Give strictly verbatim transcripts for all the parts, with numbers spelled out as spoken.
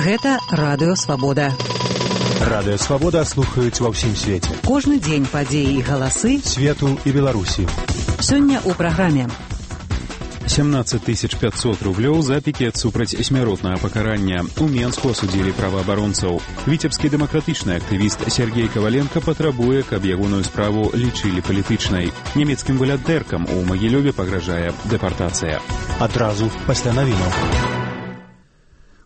Гэта Радыё Свабода. Радыё Свабода слухаюць ва ўсім свеце. Кожны дзень падзеі і галасы свету і Беларусі. Сёння ў праграме. семнадцать тысяч пятьсот рублёў за пікет супраць смяротнага пакарання. У Менску асудзілі праваабаронцаў. Віцебскі дэмакратычны актывіст Сергей Коваленко патрабуе, каб ягоную справу лічылі палітычнай. Нямецкім валядэркам у Магілёве пагражае дэпартацыя. Адразу пасля навінаў.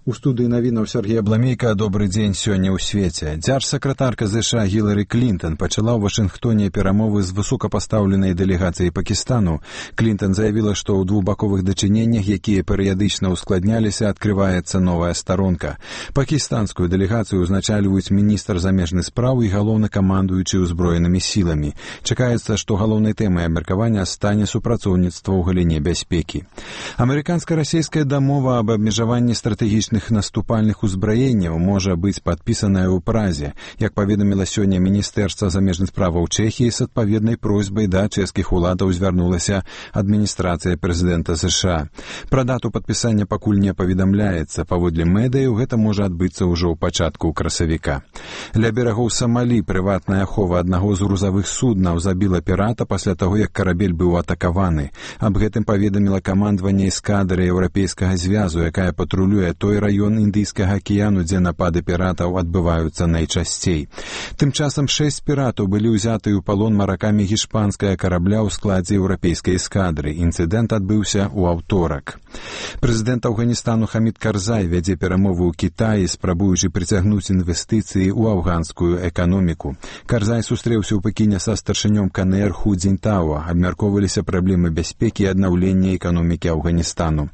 У студыі навінаў Сергея Бламейка. Добры дзень сёння ў свеце. Дзяржсакратарка ЗША Гілары Клінтон пачала ў Вашынгтоне перамовы з высокапастаўленай дэлегацыяй Пакістану. Клінтон заявіла, што ў двухбаковых дачыненнях, якія перыядычна ускладняліся, адкрываецца новая старонка. Пакістанскую дэлегацыю узначальваюць міністр замежных спраў і галоўнакамандуючы ўзброенымі сіламі. Чакаецца, што галоўнай тэмай абмеркавання стане супрацоўніцтва ў галіне бяспекі. Амерыканска-расійская дамова аб абмежаванні стратэгічных наступальных узбраенняў можа быць падпісаная ў Празе, як паведаміла сёння Міністэрства замежных справаў Чэхіі, з адпаведнай просьбай да чэшскіх уладаў звярнулася адміністрацыя прэзідэнта ЗША. Пра дату падпісання пакуль не паведамляецца. Паводле медыяў, гэта можа адбыцца ўжо ў пачатку красавіка. Ля берагоў Самалі прыватная ахова аднаго з грузавых суднаў забіла пірата пасля таго, як карабель быў атакаваны. Аб гэтым паведаміла камандаванне эскадры Еўрапейскага звязу, якая патрулюе той раён Індыйскага акіяну, дзе напады піратаў адбываюцца найчасцей. Тым часам шэсць піратаў былі ўзяты ў палон маракамі гішпанскага карабля ў складзе еўрапейскай эскадры. Інцыдэнт адбыўся ў аўторак. Прэзідэнт Афганістану Хамід Карзай вядзе перамовы ў Кітаі, спрабуючы прыцягнуць інвестыцыі ў афганскую эканоміку. Карзай сустрэўся ў Пекіне са старшынём КНР Ху Цзіньтао. Абмяркоўваліся праблемы бяспекі і аднаўлення эканомікі Афганістану.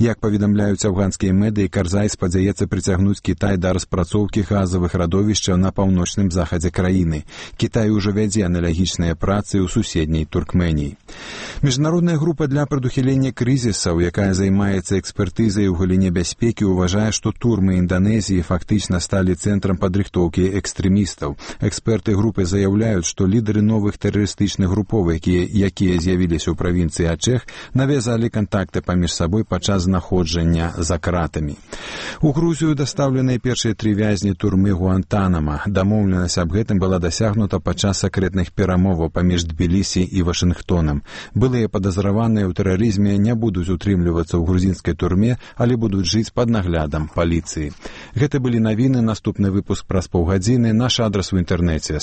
Як паведамляюць афганскія медыі, Карзай спадзяецца прыцягнуць Кітай да распрацоўкі газавых радовішчаў на паўночным захадзе краіны. Кітай ужо вядзе аналагічныя працы ў суседняй Туркменіі. Міжнародная група для прадухілення крызісаў, якая займаецца экспертызай у галіне бяспекі, уважае, што турмы Інданезіі фактычна сталі цэнтрам падрыхтоўкі экстрэмістаў. Эксперты групы заяўляюць, што лідары новых тэрарыстычных груповак, якія, якія з'явіліся ў правінцыі Ачэх, навязалі кантакты паміж сабой падчас знаходжання за кратамі. У Грузію дастаўленыя першыя тры вязні турмы Гуантанама. Дамоўленасць аб гэтым была дасягнута падчас сакрэтных перамоваў паміж Тбілісі і Вашынгтонам. Былыя падазраваныя ў тэрарызме не будуць утрымлівацца ў грузінскай турме, але будуць жыць пад наглядам паліцыі. Гэта былі навіны. Наступны выпуск праз паўгадзіны. Наш адрас у інтэрнэце